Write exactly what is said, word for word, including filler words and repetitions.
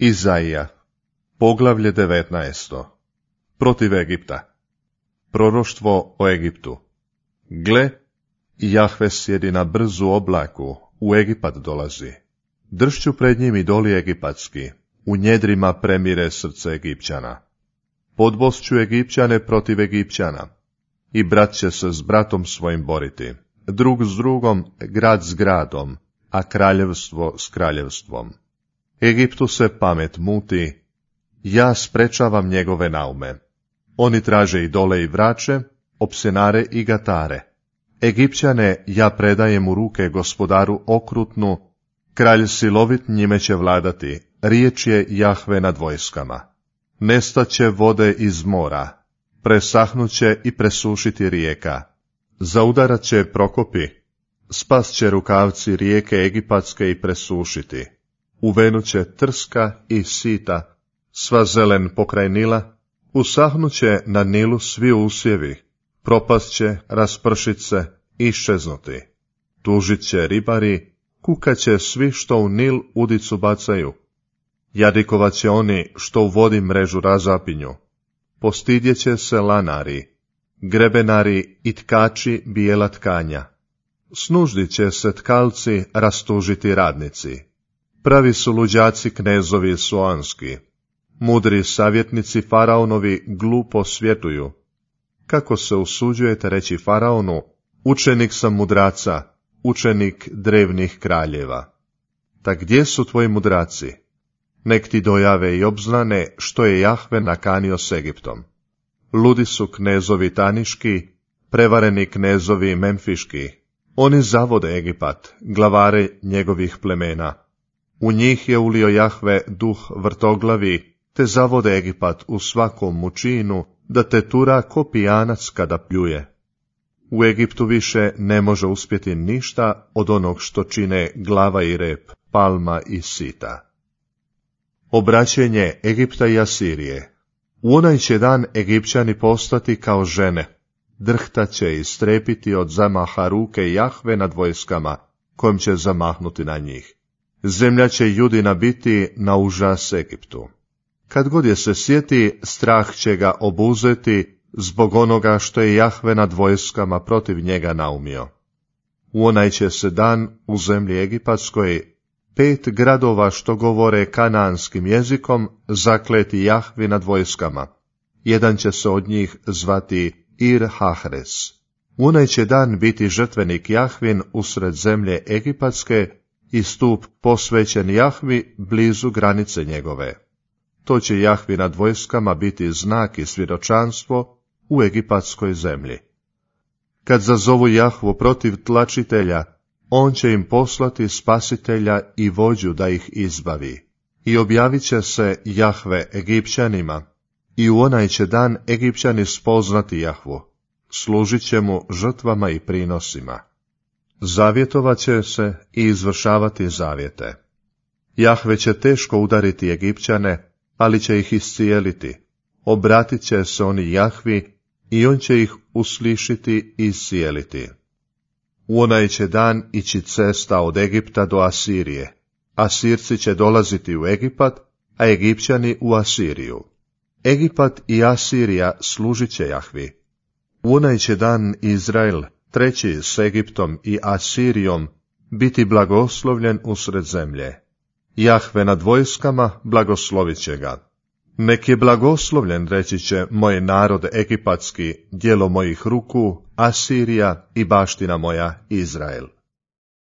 Izaija, poglavlje devetnaesto. Protiv Egipta. Proroštvo o Egiptu. Gle, Jahve sjedi na brzu oblaku, u Egipat dolazi. Dršću pred njim idoli egipatski, u njedrima premire srce Egipćana. Podbosću Egipćane protiv Egipćana, i brat će se s bratom svojim boriti, drug s drugom, grad s gradom, a kraljevstvo s kraljevstvom. Egiptu se pamet muti, ja sprečavam njegove naume. Oni traže idole i vrače, opsenare i gatare. Egipćane ja predajem u ruke gospodaru okrutnu, kralj silovit njime će vladati, riječ je Jahve nad vojskama. Nestaće vode iz mora, presahnuće i presušiti rijeka. Zaudarat će prokopi, spas će rukavci rijeke egipatske i presušiti. Uvenuće trska i sita, sva zelen pokraj Nila, usahnuće na Nilu svi usjevi, propast će, raspršit se, iščeznuti. Tužit će ribari, kukat će svi što u Nil udicu bacaju. Jadikovat će oni što u vodi mrežu razapinju. Postidjet će se lanari, grebenari i tkači bijela tkanja. Snuždit će se tkalci, rastužiti radnici. Pravi su luđaci knezovi soanski. Mudri savjetnici faraonovi glupo svjetuju. Kako se usuđujete reći faraonu, učenik sam mudraca, učenik drevnih kraljeva. Tak gdje su tvoji mudraci? Nek ti dojave i obznane što je Jahve nakanio s Egiptom. Ludi su knezovi taniški, prevareni knezovi memfiški. Oni zavode Egipat, glavare njegovih plemena. U njih je ulio Jahve duh vrtoglavi, te zavode Egipat u svakom mučinu, da te tura ko pijanac kada pljuje. U Egiptu više ne može uspjeti ništa od onog što čine glava i rep, palma i sita. Obraćenje Egipta i Asirije. U onaj će dan Egipćani postati kao žene, drhtat će i strepiti od zamaha ruke Jahve nad vojskama, kojim će zamahnuti na njih. Zemlja će Judina biti na užas Egiptu. Kad god je se sjeti, strah će ga obuzeti zbog onoga što je Jahve nad vojskama protiv njega naumio. U onaj će se dan u zemlji egipatskoj pet gradova što govore kanaanskim jezikom zakleti Jahvi nad vojskama. Jedan će se od njih zvati Ir Hahres. U onaj će dan biti žrtvenik Jahvin usred zemlje egipatske i stup posvećen Jahvi blizu granice njegove. To će Jahvi nad vojskama biti znak i svjedočanstvo u egipatskoj zemlji. Kad zazovu Jahvu protiv tlačitelja, on će im poslati spasitelja i vođu da ih izbavi. I objavit će se Jahve Egipćanima, i u onaj će dan Egipćani spoznati Jahvu, služit će mu žrtvama i prinosima. Zavjetovat će se i izvršavati zavjete. Jahve će teško udariti Egipćane, ali će ih iscijeliti. Obratit će se oni Jahvi i on će ih uslišiti i iscijeliti. U onaj će dan ići cesta od Egipta do Asirije. Asirci će dolaziti u Egipat, a Egipćani u Asiriju. Egipat i Asirija služit će Jahvi. U onaj će dan Izrael, treći s Egiptom i Asirijom, biti blagoslovljen usred zemlje. Jahve nad vojskama blagoslovit će ga. Nek je blagoslovljen, reći će, moj narod egipatski, djelo mojih ruku, Asirija i baština moja Izrael.